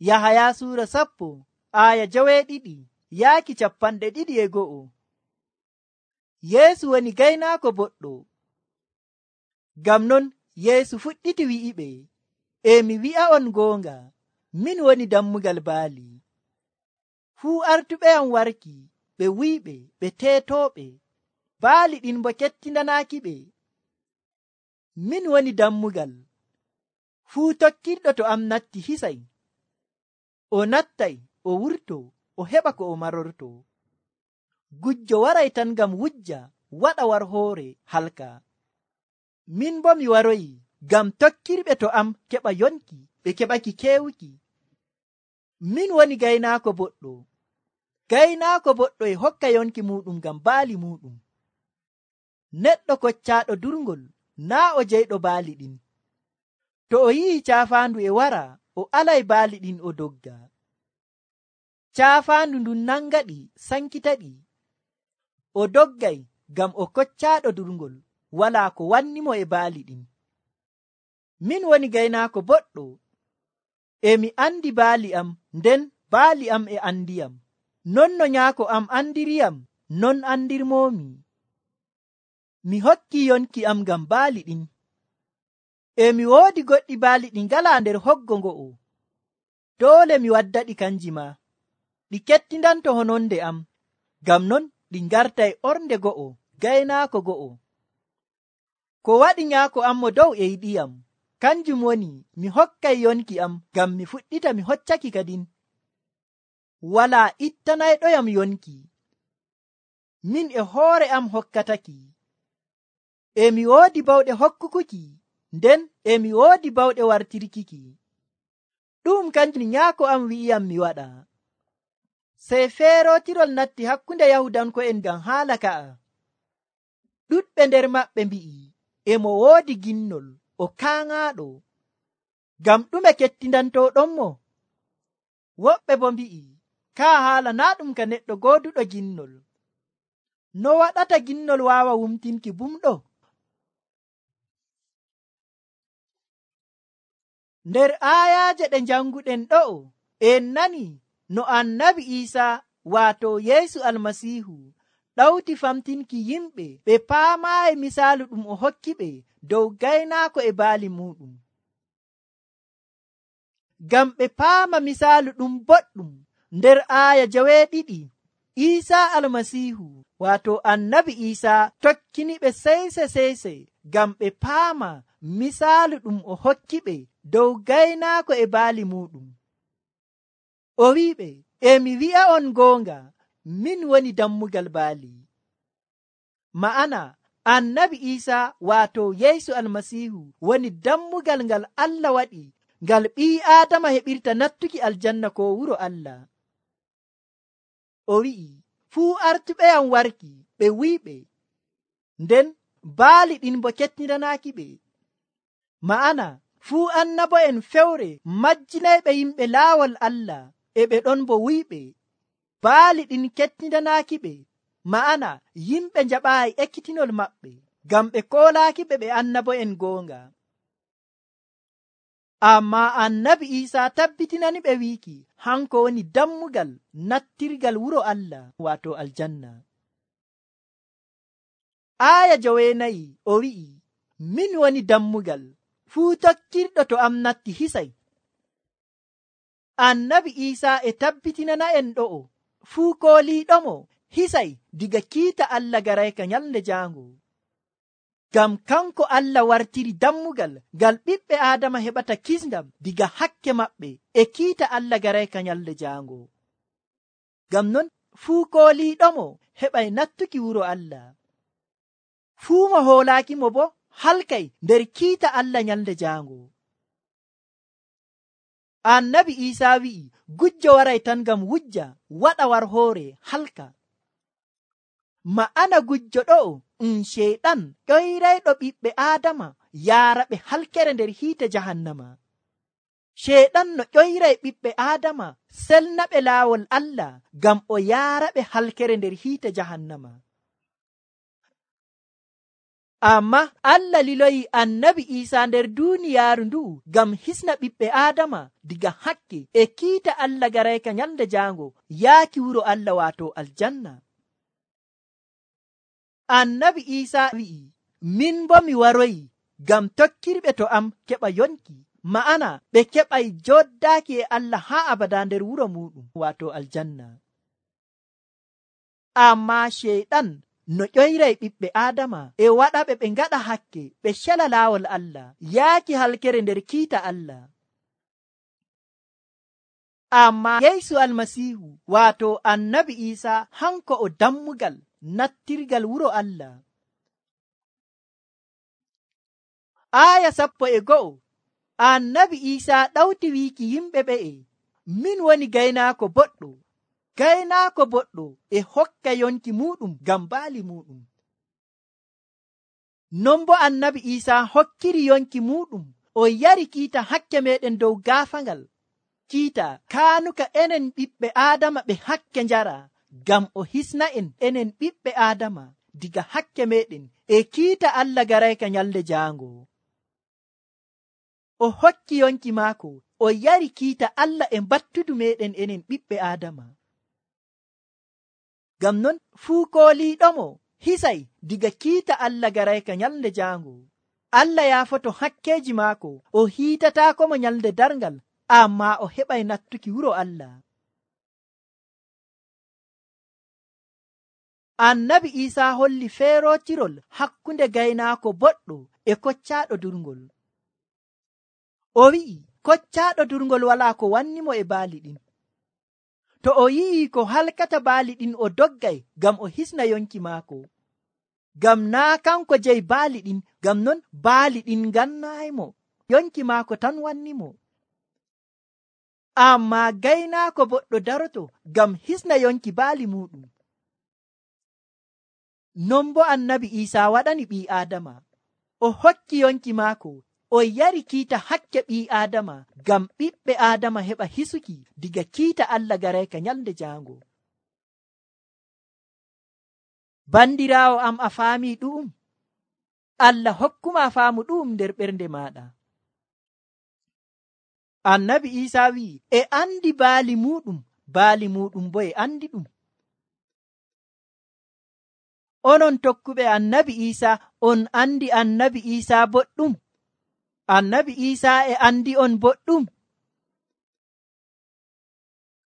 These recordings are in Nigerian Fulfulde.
Yahaya suura 10 aya 12 yaaki 21. Yeesu woni gaynaako boɗɗo. Ngam non Yeesu fuɗɗiti wi'iɓe, mi wi'a'on goonga, min woni dammugal baali. Fuu artuɓe am warki ɓe wi'iɓe ɓe teetooɓe, baali ɗin bo kettindanaaki-ɓe. Min woni dammugal. Fuu tokkirɗo to am natti hisay, o nattay, o wurto, o heɓa ko o marorto. Gujjo waray tan ngam wujja, waɗa war hoore halka. Min bo mi waroyi ngam tokkirɓe to am keɓa yonki, ɓe keɓaki keewuki. Min woni gaynaako boɗɗo. Gaynaako boɗɗo e hokka yonki muɗum ngam baali muɗum. Neɗɗo koccaaɗo durngol naa o jeyɗo baali ɗin. To o yi'i caafaandu e wara, o alay baali ɗin o dogga. Caafaandu ndun nangaɗi sankitaɗi. O doggay ngam o koccaaɗo durngol, walaa ko wannimo e baali ɗin. Min woni gaynaako boɗɗo. Mi andi baali am, nden baali am e andiyam. Non no nyaako am andiriyam, non andirmomi. Mi hokki yonki am ngam baali ɗin. Mi woodi goɗɗi baali ɗi ngalaa nder hoggo ngo'o. Doole mi waddaɗi kanji ma. Ɗi kettindanto hononde am, ngam non ɗi ngartay ornde go'o, gaynaako go'o. Ko waɗi nyaako am mo dow e yiɗiyam, kanjum woni mi hokkay yonki am ngam mi fuɗɗita mi hoccaki kadin. Walaa ittanayɗoyam yonki. Min e hoore am hokkataki. Mi woodi bawɗe hokkukuki, nden mi woodi bawɗe wartirkiki. Ɗum kanjum nyaako am wi'iyam mi waɗa. Sey feerotirol natti hakkunde Yahudanko'en ngam haala ka'a. Ɗuɗɓe nder maɓɓe mbi'i, mo woodi ginnol, o kaaŋaaɗo. Ngam ɗume kettindantoɗonmo? Woɓɓe bo mbi'i, kaa haala naa ɗum ka neɗɗo gooduɗo ginnol. No waɗata ginnol waawa wumtinki bumɗo? Nder aayaaje ɗe janguɗen ɗo'o, en nani no annabi Iisaa waato Yeesu Almasiihu ɗawti famtinki yimɓe ɓe paamaayi misaalu ɗum o hokki ɓe dow gaynaako e baali muɗum. Ngam ɓe paama misaalu ɗum boɗɗum, nder aaya 12 Iisaa Almasiihu waato annabi Iisaa tokkini ɓe seyse ngam ɓe paama misaalu ɗum o hokki ɓe dow gaynaako e baali muɗum. O wi'iɓe, mi wi'a'on goonga, min woni dammugal baali. Ma'ana annabi Iisaa waato Yeesu Almasiihu woni dammugal ngal Allah waɗi ngal ɓii Aadama heɓirta nattuki aljanna ko wuro Allah. O wi'i, fuu artuɓe am warki ɓe wi'iɓe, nden baali ɗin bo kettindanaaki ɓe. Ma'ana fuu annabo'en fewre majjinayɓe yimɓe laawol Allah, ɓe ɗon bo wi'iɓe, baali ɗin kettindanaaki ɓe. Ma'ana yimɓe njaɓaayi ekkitinol maɓɓe, ngam ɓe koolaaki ɓe annabo'en goonga. Amma annabi Iisaa tabbitinani ɓe wiiki hanko woni dammugal nattirgal wuro Allah, waato aljanna. Aaya 9 o wi'i, min woni dammugal. Fuu tokkirɗo to am natti hisay. Annabi Iisaa tabbitinana en ɗo'o, fuu kooliiɗomo hisay diga kiita Allah garayka nyalnde jaango. Ngam kanko Allah wartiri dammugal ngal ɓiɓɓe Aadama heɓata kisndam diga hakke maɓɓe e kiita Allah garayka nyalnde jaango. Ngam non fuu kooliiɗomo heɓay nattuki wuro Allah. Fuu mo hoolaakimo bo halkay nder kiita Allah nyalnde jaango. Annabi Iisaa wi'i, gujjo waray tan ngam wujja, waɗa war hoore halka. Ma'ana gujjo ɗo'o Sheyɗan ƴoyrayɗo ɓiɓɓe Aadama yaara ɓe halkere nder hiite jahannama. Sheyɗan no ƴoyray ɓiɓɓe Aadama selna ɓe laawol Allah ngam o yaara ɓe halkere nder hiite jahannama. Amma Allah liloyi annabi Isa nder duniyaaru ndu'u ngam hisna ɓiɓɓe Aadama diga hakke e kiita Allah garayka nyalde jaango yaaki wuro Allah waato aljanna. Annabi Isa wi'i, min bo mi waroyi ngam tokkirɓe to am keɓa yonki, ma'ana ɓe keɓay joddaaki e Allah haa abada nder wuro muɗum waato aljanna. Amma sheyɗan no ƴoyray ɓiɓɓe Aadama e waɗaɓe ɓe ngaɗa hakke ɓe cela laawol Allah yaaki halkere nder kiita Allah. Amma Yeesu Almasiihu waato annabi Isa hanko o dammugal nattirgal wuro Allah. Aya 11 annabi Isa ɗawti wiiki yimɓe ɓe'e, min woni gaynaako boɗɗo. Gaynaako boɗɗo e hokka yonki muɗum ngam baali muɗum. Non bo annabi Isa hokkiri yonki muɗum o yari kiita hakke meɗen dow gaafangal. Kiita kaanuka enen ɓiɓɓe Aadama ɓe hakke njara ngam o hisna en enen ɓiɓɓe Aadama diga hakke meɗen e kiita Allah garayka nyalde jaango. O hokki yonki maako o yari kiita Allah e battudu meɗen enen ɓiɓɓe Aadama. Ngam non fuu kooliiɗomo hisay diga kiita Allah garayka nyalde jaango. Allah yaafoto hakkeeji maako o hiitataako nyalde darngal, amma o heɓay nattuki wuro Allah. Annabi Isa holli feerotirol hakkunde gaynaako boɗɗo e koccaaɗo durngol. O wi'i koccaaɗo durngol walaa ko wannimo e baali ɗin. To o yi'i ko halkata baali ɗin o doggay ngam o hisna yonki maako. Ngam naa kanko jeyi baali ɗin, ngam non baali ɗin ngannaymo, yonki maako tan wannimo. Amma gaynaako boɗɗo daroto ngam hisna yonki baali muɗum. Non bo annabi Isa waɗani ɓii Aadama. O hokki yonki maako o yari kiita hakke ɓii Aadama ngam ɓiɓɓe Aadama heɓa hisuki diga kiita Allah garayka nyalde jaango. Bandiraawo am, a faami ɗu'um? Allah hokkuma faamu ɗu'um nder ɓernde maɗa. Annabi Isa wi'i e andi baali muɗum bo e andi ɗum. Onon tokkuɓe annabi Isa, on andi annabi Isa boɗɗum? Annabi Isa e andi on boɗɗum?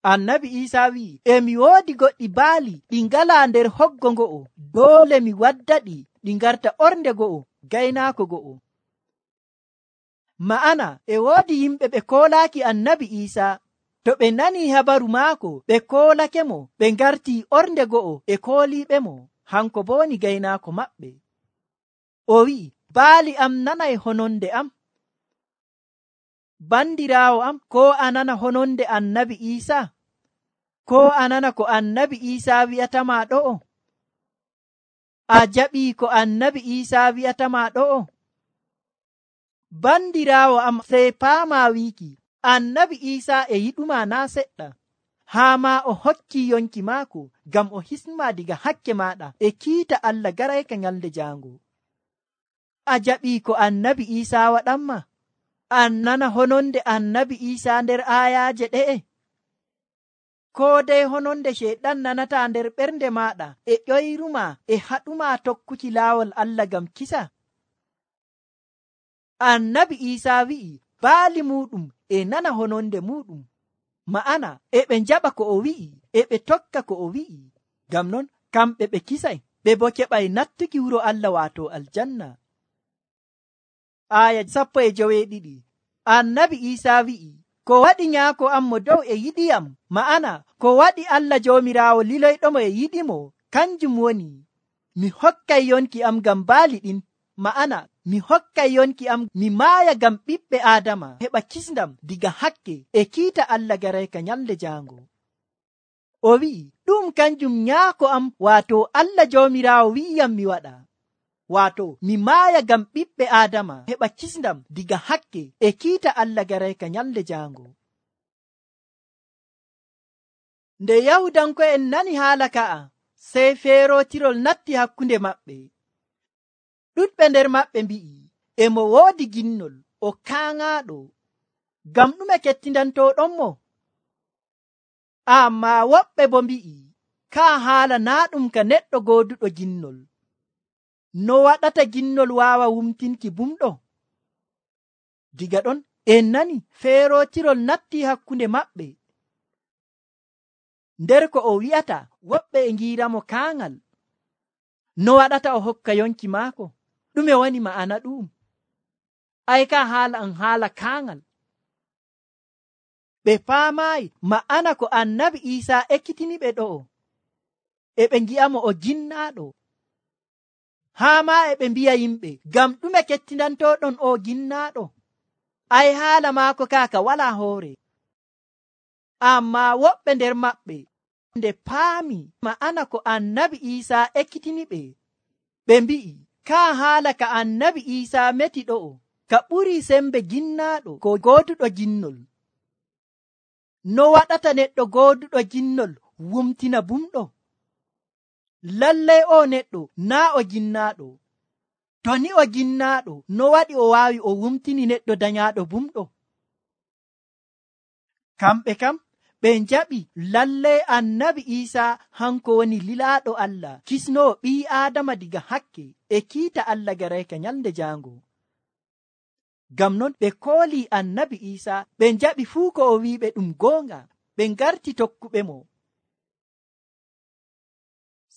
Annabi Isa wi'i, emi woodi goɗɗi baali ɗi ngalaa nder hoggo ngo'o, doole mi waddaɗi ɗi ngarta ornde go'o, gaynaako go'o. Ma'ana e woodi yimɓe ɓe koolaaki annabi Isa, to ɓe nani habaru maako ɓe koolakemo, ɓe ngarti ornde go'o e kooliiɓe mo, hanko bo woni gaynaako maɓɓe. O wi'i, baali am nanay hononde am. Bandiraawo am, ko a nana hononde annabi Isa? Ko a nana ko annabi Isa wi'atama ɗo'o? A jaɓii ko annabi Isa wi'atama ɗo'o? Bandiraawo am, sey paama wiiki annabi Isa e yiɗuma naa seɗɗa, haa ma o hokki yonki maako ngam o hisnuma diga hakke maɗa e kiita Allah garayka nyalde jaango. A jaɓii ko annabi Isa waɗanma? An nana hononde annabi Isa nder aayaaje ɗe'e? Ko dey hononde sheyɗan nanata nder ɓernde maɗa e ƴoyruma e haɗuma tokkuki laawol Allah ngam kisa? Annabi Isa wi'i baali muɗum e nana hononde muɗum, ma'ana e ɓe njaɓa ko o wi'i e ɓe tokka ko o wi'i. Ngam non kamɓe ɓe kisay, ɓe bo keɓay nattuki wuro Allah waato aljanna. Aya 12 annabi Isa wi'i, ko waɗi nyaako am mo dow e yiɗiyam, ma'ana ko waɗi Allah Joomiraawo liloyɗomo e yiɗimo, kanjum woni mi hokkay yonki am ngam baali ɗin, ma'ana mi hokkay yonki am mi maaya ngam ɓiɓɓe Aadama heɓa kisndam diga hakke e kiita Allah garayka nyalde jaango. O wi'i ɗum kanjum nyaako am, waato Allah Joomiraawo wi'iyam mi waɗa, waato mi maaya ngam ɓiɓɓe Aadama heɓa kisndam diga hakke e kiita Allah garayka nyalde jaango. Nde Yahudanko'en nani haala ka'a, sey feerotirol natti hakkunde maɓɓe. ɗuɗɓe nder maɓɓe mbi'i e mo woodi ginnol o kaaŋaaɗo, ngam ɗume kettindantoɗonmo? Ammaa woɓɓe bo mbi'i kaa haala naa ɗum ka neɗɗo gooduɗo ginnol. No waɗata ginnol waawa wumtinki bumɗo? Diga ɗon en nani feerootirol natti hakkunde maɓɓe. Nder ko o wi'ata, woɓɓe e ngiiramo kaaŋal. No waɗata o hokka yonki maako? ɗume woni ma'ana ɗum? Ay ka haala an haala kaaŋal. Ɓe paamaayi ma'ana ko annabi Iisaa ekkitiniɓe ɗo'o. E ɓe ngi'amo o ginnaaɗo. Haa maa e ɓe mbi'a yimɓe, ngam ɗume kettindantoɗon o ginnaaɗo? Ay haala maako ka walaa hoore. Ammaa woɓɓe nder maɓɓe nde paami ma'ana ko annabi Iisaa ekkitiniɓe, ɓe mbi'i kaa haala ka annabi Iisaa meti ɗo'o ka ɓurii sembe ginnaaɗo ko gooduɗo ginnol. No waɗata neɗɗo gooduɗo ginnol wumtina bumɗo? Lallay o neɗɗo naa o ginnaaɗo. To ni o ginnaaɗo, no waɗi o waawi o wumtini neɗɗo danyaaɗo bumɗo? Kamɓe kam ɓe njaɓi lallay annabi Iisaa hanko woni lilaaɗo Allah, kisnoo ɓii Aadama diga hakke e kiita Allah garayka nyalnde jaango. Ngam non ɓe koolii annabi Iisaa, ɓe njaɓi fuu ko o wi'iɓe ɗum goonga, ɓe ngarti tokkuɓe mo.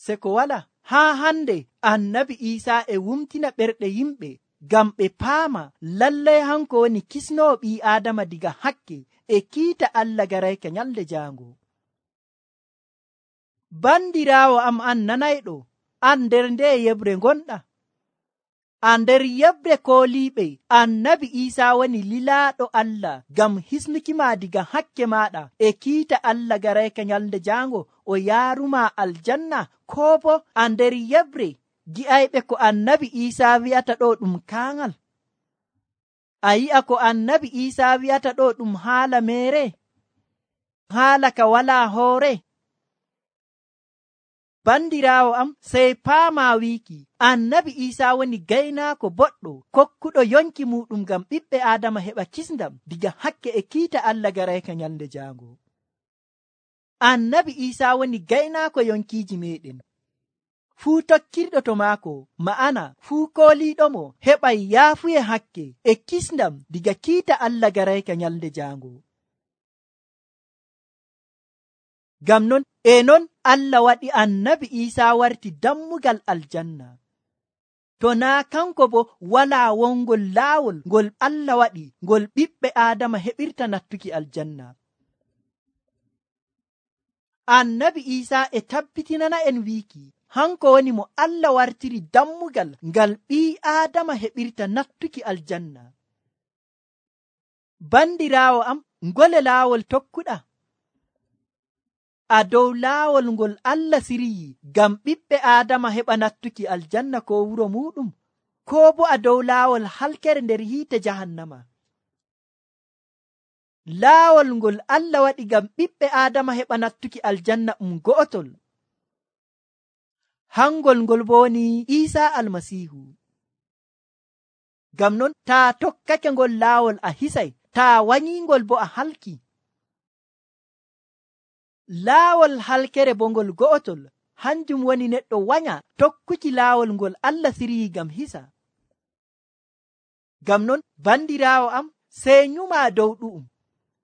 Se ko wala haa hande annabi Iisaa e wumtina ɓerɗe yimɓe ngam ɓe paama lallay hanko woni kisnoo ɓii Aadama diga hakke e kiita Allah garayka nyalnde jaango. Bandiraawo am an nanayɗo, an nder nde yebre gonɗa? An nder yebre kooliiɓe annabi Iisaa woni lilaaɗo Allah ngam hisnukima diga hakke maɗa e kiita Allah garayka nyalnde jaango o yaaruma aljanna, koo bo an nder yebre gi'ayɓe ko annabi Iisaa wi'ata ɗo ɗum kaaŋal? A yi'a ko annabi Iisaa wi'ata ɗo ɗum haala meere, haala ka walaa hoore. Bandiraawo am, sey paama wiiki annabi Iisaa woni gaynaako boɗɗo kokkuɗo yonki muɗum ngam ɓiɓɓe Aadama heɓa kisndam diga hakke e kiita Allah garayka nyalnde jaango. Annabi Iisaa woni gaynaako yonkiiji meɗen. Fuu tokkirɗo to maako, ma'ana fuu kooliiɗomo, heɓay yaafuye hakke e kisndam diga kiita Allah garayka nyalnde jaango. Ngam non non Allah waɗi annabi Iisaa warti dammugal aljanna. To naa kanko bo walaa wongol laawol ngol Allah waɗi ngol ɓiɓɓe Aadama heɓirta nattuki aljanna. Annabi Iisaa e tabbitinana en wiiki hanko woni mo Allah wartiri dammugal ngal ɓii Aadama heɓirta nattuki aljanna. Bandiraawo am, ngole laawol tokkuɗa? A dow laawol ngol Allah siriyi ngam ɓiɓɓe Aadama heɓa nattuki aljanna ko wuro muɗum, koo bo a dow laawol halkere nder hiite jahannama? Laawol ngol Allah waɗi ngam ɓiɓɓe Aadama heɓa nattuki aljanna go'otol. Hangol ngol bo woni Iisaa Almasiihu. Ngam non taa tokkake ngol laawol a hisay, taa wanyingol bo a halki. Laawol halkere bo ngol go'otol, hanjum woni neɗɗo wanya tokkuki laawol ngol Allah siriyi ngam hisa. Ngam non bandiraawo am, sey nyuma dow ɗu'um.